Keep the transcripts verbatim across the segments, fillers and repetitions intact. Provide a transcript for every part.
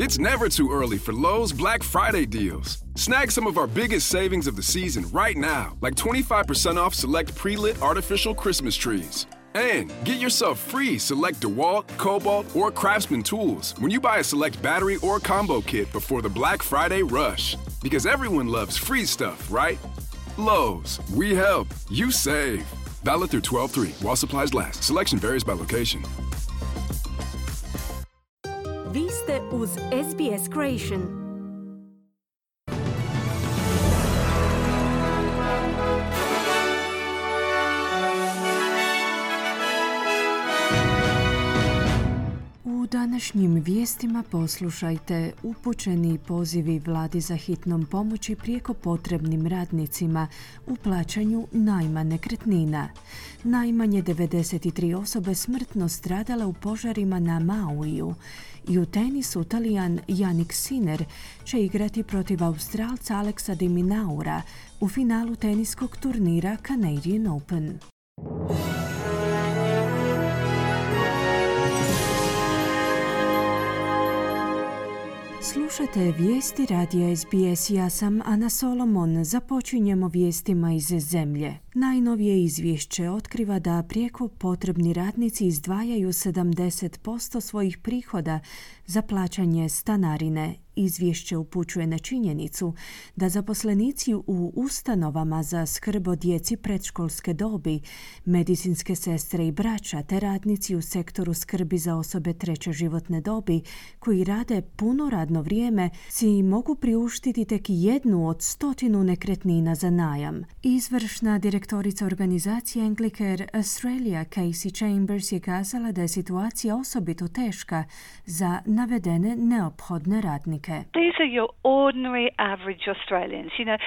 It's never too early for Lowe's Black Friday deals. Snag some of our biggest savings of the season right now, like twenty-five percent off select pre-lit artificial Christmas trees. And get yourself free select DeWalt, Cobalt, or Craftsman tools when you buy a select battery or combo kit before the Black Friday rush. Because everyone loves free stuff, right? Lowe's, we help, you save. Valid through twelve three while supplies last. Selection varies by location. Vi ste uz S B S Creation. U današnjim vijestima poslušajte upućeni pozivi vladi za hitnom pomoći prijeko potrebnim radnicima u plaćanju najma nekretnina. Najmanje devedeset tri osobe smrtno stradale u požarima na Mauiju. I u tenisu Talijan Jannik Sinner će igrati protiv Australca Alexa de Minaura u finalu teniskog turnira Canadian Open. Slušate vijesti radija S B S, ja sam Ana Solomon. Započinjemo vijestima iz zemlje. Najnovije izvješće otkriva da prijeko potrebni radnici izdvajaju sedamdeset posto svojih prihoda za plaćanje stanarine. Izvješće upućuje na činjenicu da zaposlenici u ustanovama za skrb o djeci predškolske dobi, medicinske sestre i braća te radnici u sektoru skrbi za osobe treće životne dobi koji rade puno radno vrijeme si mogu priuštiti tek jednu od stotinu nekretnina za najam. Izvršna direktorica organizacije Anglicare Australia Casey Chambers je kazala da je situacija osobito teška za navedene neophodne radnike. These are your ordinary, average Australians. You know,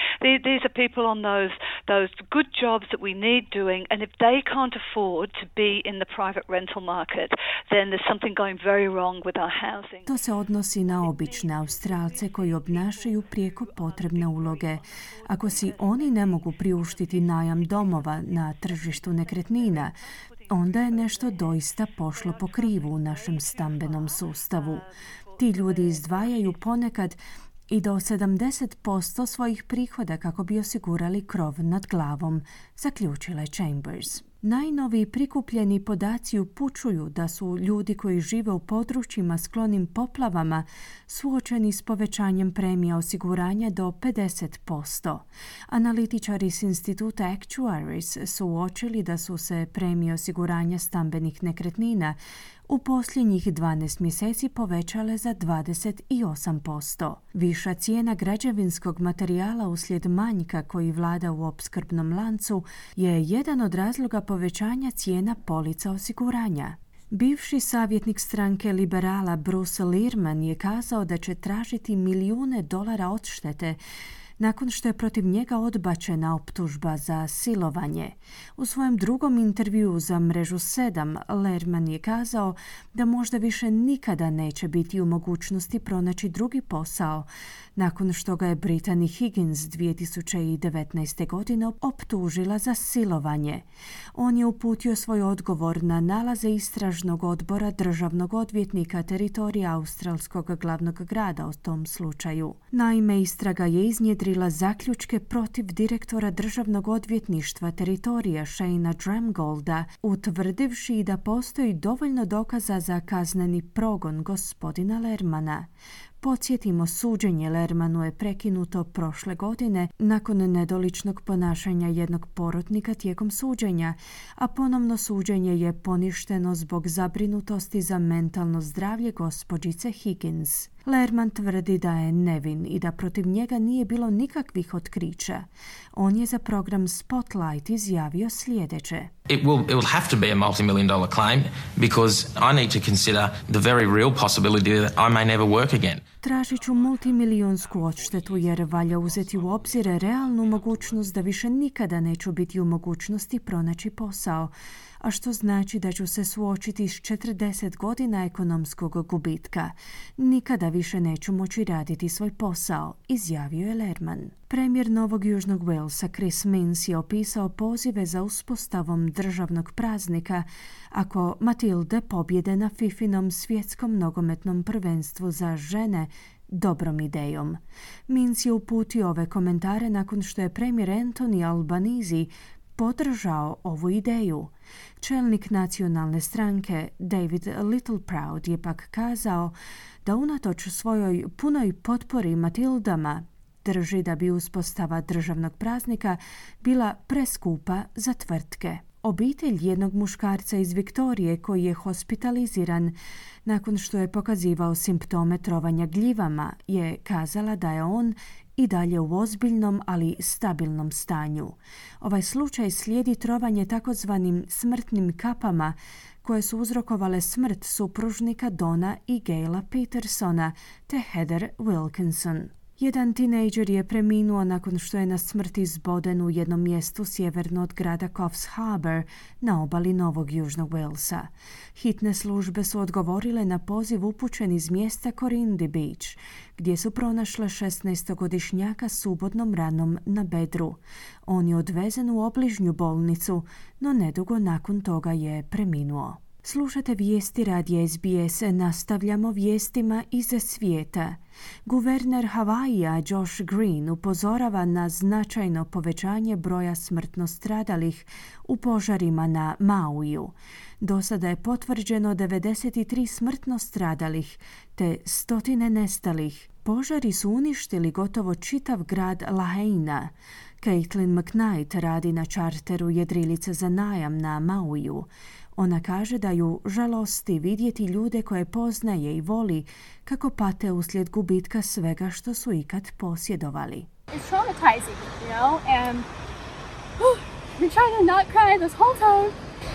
these are people on those those good jobs that we need doing, and if they can't afford to be in the private rental market, then there's something going very wrong with our housing. To se odnosi na obične Australce koji obnašaju prijeko potrebne uloge. Ako si oni ne mogu priuštiti najam domova na tržištu nekretnina, onda je nešto doista pošlo po krivu u našem stambenom sustavu. Ti ljudi izdvajaju ponekad i do sedamdeset posto svojih prihoda kako bi osigurali krov nad glavom, zaključila je Chambers. Najnoviji prikupljeni podaci upućuju da su ljudi koji žive u područjima sklonim poplavama suočeni s povećanjem premija osiguranja do pedeset posto. Analitičari s instituta Actuaries su uočili da su se premije osiguranja stambenih nekretnina u posljednjih dvanaest mjeseci povećale za dvadeset osam posto. Viša cijena građevinskog materijala uslijed manjka koji vlada u opskrbnom lancu je jedan od razloga povećanja cijena polica osiguranja. Bivši savjetnik stranke liberala Bruce Lehrmann je kazao da će tražiti milijune dolara odštete nakon što je protiv njega odbačena optužba za silovanje. U svojem drugom intervjuu za mrežu sedam, Lehrmann je kazao da možda više nikada neće biti u mogućnosti pronaći drugi posao, nakon što ga je Brittany Higgins dvije tisuće devetnaeste. godine optužila za silovanje. On je uputio svoj odgovor na nalaze istražnog odbora državnog odvjetnika teritorija australskog glavnog grada o tom slučaju. Naime, istraga je iznjedrila zaključke protiv direktora državnog odvjetništva teritorija Shayna Dramgolda, utvrdivši da postoji dovoljno dokaza za kazneni progon gospodina Lehrmana. Podsjetimo, suđenje Lehrmanu je prekinuto prošle godine nakon nedoličnog ponašanja jednog porotnika tijekom suđenja, a ponovno suđenje je poništeno zbog zabrinutosti za mentalno zdravlje gospođice Higgins. Lehrmann tvrdi da je nevin i da protiv njega nije bilo nikakvih otkrića. On je za program Spotlight izjavio sljedeće. It will, it will have to be a multi-million dollar claim because I need to consider the very real possibility that I may never work again. Tražit ću multimilijunsku odštetu jer valja uzeti u obzir realnu mogućnost da više nikada neću biti u mogućnosti pronaći posao, a što znači da ću se suočiti s četrdeset godina ekonomskog gubitka. Nikada više neću moći raditi svoj posao, izjavio je Lerman. Premijer Novog Južnog Walesa Chris Minns je opisao pozive za uspostavom državnog praznika ako Matilde pobjede na Fifinom svjetskom nogometnom prvenstvu za žene dobrom idejom. Minns je uputio ove komentare nakon što je premijer Anthony Albanese podržao ovu ideju. Čelnik nacionalne stranke David Littleproud je pak kazao da unatoč svojoj punoj potpori Matildama drži da bi uspostava državnog praznika bila preskupa za tvrtke. Obitelj jednog muškarca iz Viktorije koji je hospitaliziran nakon što je pokazivao simptome trovanja gljivama je kazala da je on i dalje u ozbiljnom, ali stabilnom stanju. Ovaj slučaj slijedi trovanje takozvanim smrtnim kapama koje su uzrokovale smrt supružnika Dona i Gaila Petersona te Heather Wilkinson. Jedan tinejdžer je preminuo nakon što je na smrt izboden u jednom mjestu sjeverno od grada Coffs Harbour na obali Novog Južnog Walesa. Hitne službe su odgovorile na poziv upućen iz mjesta Corindi Beach, gdje su pronašle šesnaestogodišnjaka s ubodnom ranom na bedru. On je odvezen u obližnju bolnicu, no nedugo nakon toga je preminuo. Slušate vijesti radija S B S, nastavljamo vijestima iz svijeta. Guverner Havaija Josh Green upozorava na značajno povećanje broja smrtno stradalih u požarima na Mauiju. Do sada je potvrđeno devedeset tri smrtno stradalih te stotine nestalih. Požari su uništili gotovo čitav grad Lahaina. Caitlin McKnight radi na čarteru jedrilice za najam na Mauiju. Ona kaže da ju žalosti vidjeti ljude koje poznaje i voli kako pate uslijed gubitka svega što su ikad posjedovali. It's traumatizing, you know, and whew, been trying to not cry this whole time.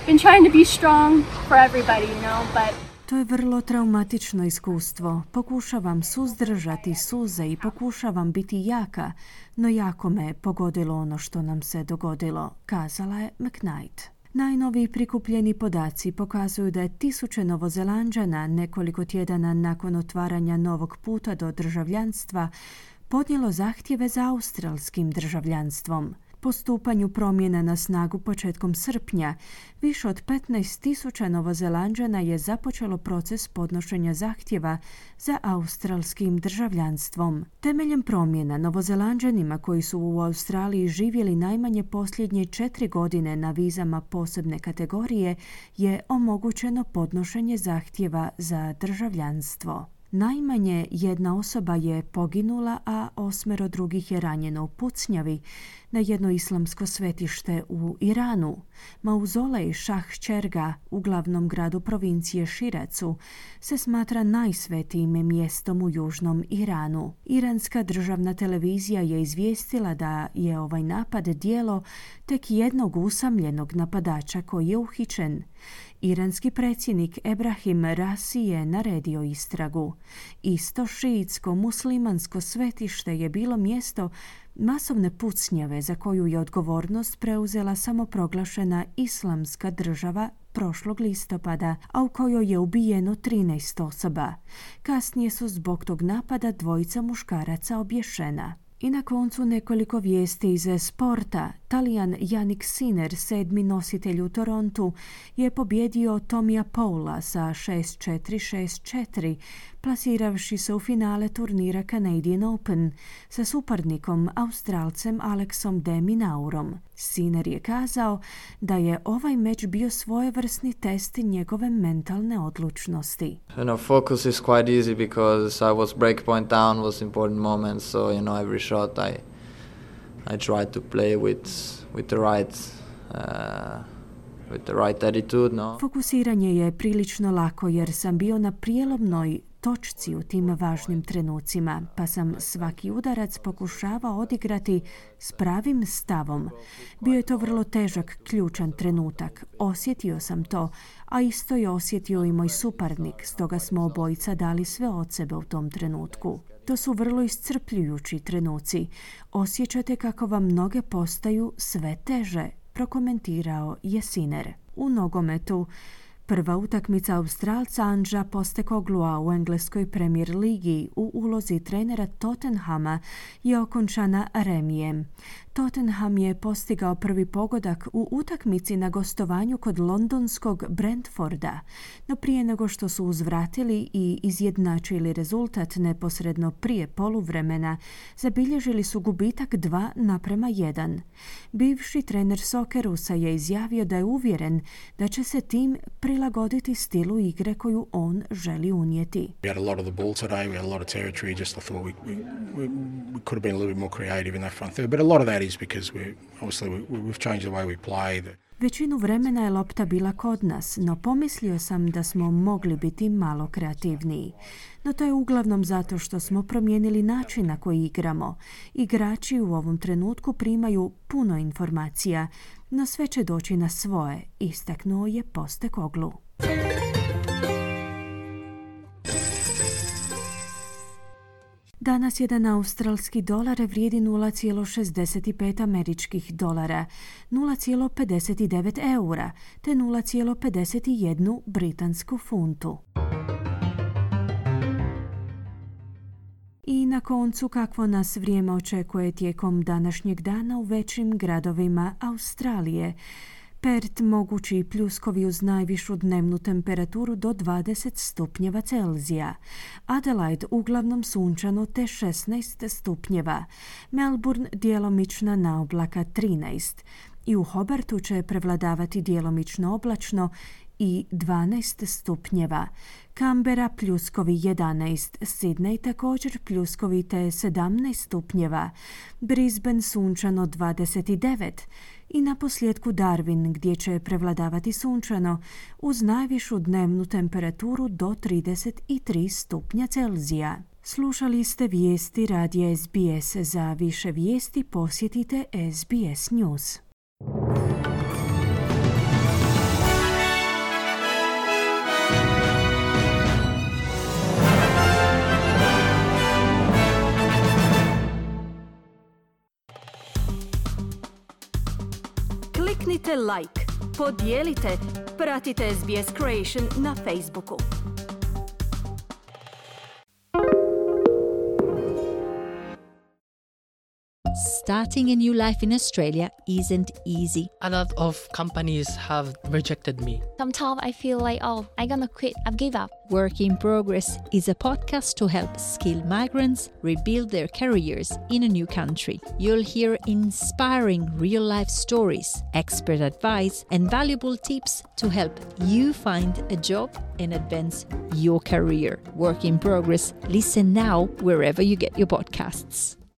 Been trying to be strong for everybody, you know, but To je vrlo traumatično iskustvo. Pokušavam suzdržati suze i pokušavam biti jaka, no jako me pogodilo ono što nam se dogodilo, kazala je McKnight. Najnoviji prikupljeni podaci pokazuju da je tisuće Novozelanđana nekoliko tjedana nakon otvaranja novog puta do državljanstva podnijelo zahtjeve za australskim državljanstvom. Po stupanju promjena na snagu početkom srpnja, više od petnaest tisuća Novozelanđana je započelo proces podnošenja zahtjeva za australskim državljanstvom. Temeljem promjena, Novozelanđanima koji su u Australiji živjeli najmanje posljednje četiri godine na vizama posebne kategorije je omogućeno podnošenje zahtjeva za državljanstvo. Najmanje jedna osoba je poginula, a osmero drugih je ranjeno u pucnjavi na jedno islamsko svetište u Iranu. Mauzolej Šah Čerga u glavnom gradu provincije Širecu se smatra najsvetijim mjestom u južnom Iranu. Iranska državna televizija je izvijestila da je ovaj napad djelo tek jednog usamljenog napadača koji je uhićen. Iranski predsjednik Ebrahim Rasi je naredio istragu. Isto šiitsko muslimansko svetište je bilo mjesto masovne pucnjave za koju je odgovornost preuzela samoproglašena Islamska država prošlog listopada, a u kojoj je ubijeno trinaest osoba. Kasnije su zbog tog napada dvojica muškaraca obješena. I na koncu nekoliko vijesti iz sporta. Talijan Jannik Sinner, sedmi nositelj u Torontu, je pobjedio Tomija Paula sa šest četiri šest četiri, plasiravši se u finale turnira Canadian Open sa suparnikom Australcem Alexom de Minaurom. Sinner je kazao da je ovaj meč bio svojevrsni test njegove mentalne odlučnosti. You know, focus is quite easy because I was break point down was important moment, so you know every shot I I tried to play with with the right uh, with the right attitude, no. Fokusiranje je prilično lako jer sam bio na prijelomnoj točci u tim važnim trenucima, pa sam svaki udarac pokušavao odigrati s pravim stavom. Bio je to vrlo težak, ključan trenutak. Osjetio sam to, a isto je osjetio i moj suparnik, stoga smo obojica dali sve od sebe u tom trenutku. To su vrlo iscrpljujući trenuci. Osjećate kako vam noge postaju sve teže, prokomentirao je Sinner. u nogometu. Prva utakmica Australca Anđa Postecoglua u engleskoj Premier ligi u ulozi trenera Tottenhama je okončana remijem. Tottenham je postigao prvi pogodak u utakmici na gostovanju kod londonskog Brentforda, no prije nego što su uzvratili i izjednačili rezultat neposredno prije poluvremena, zabilježili su gubitak dva naprema jedan. Bivši trener Soccerusa je izjavio da je uvjeren da će se tim prilagoditi stilu igre koju on želi unijeti. We had a lot of the ball today, we had a lot of territory, just I thought we, we, we, we could have been a little bit more creative in that front third, but a lot of that is because we obviously we, we've changed the way we play. The... Većinu vremena je lopta bila kod nas, no pomislio sam da smo mogli biti malo kreativniji. No to je uglavnom zato što smo promijenili način na koji igramo. Igrači u ovom trenutku primaju puno informacija, no sve će doći na svoje, istaknuo je Postecoglou. Danas jedan australski dolar vrijedi nula zarez šezdeset pet američkih dolara, nula zarez pedeset devet eura te nula zarez pedeset jedan britansku funtu. I na koncu kakvo nas vrijeme očekuje tijekom današnjeg dana u većim gradovima Australije. Perth mogući pljuskovi uz najvišu dnevnu temperaturu do dvadeset stupnjeva Celzija. Adelaide uglavnom sunčano te šesnaest stupnjeva. Melbourne djelomična naoblaka trinaest. I u Hobartu će prevladavati djelomično oblačno i dvanaest stupnjeva. Canberra pljuskovi jedanaest, Sydney također pljuskovi te sedamnaest stupnjeva, Brisbane sunčano dvadeset devet i na posljedku Darwin gdje će prevladavati sunčano uz najvišu dnevnu temperaturu do trideset tri stupnja Celzija. Slušali ste vijesti radija S B S. Za više vijesti posjetite S B S News. Kliknite like, podijelite, pratite S B S Creation na Facebooku. Starting a new life in Australia isn't easy. A lot of companies have rejected me. Sometimes I feel like, oh, I'm gonna quit, I've give up. Work in Progress is a podcast to help skilled migrants rebuild their careers in a new country. You'll hear inspiring real-life stories, expert advice, and valuable tips to help you find a job and advance your career. Work in Progress. Listen now wherever you get your podcasts.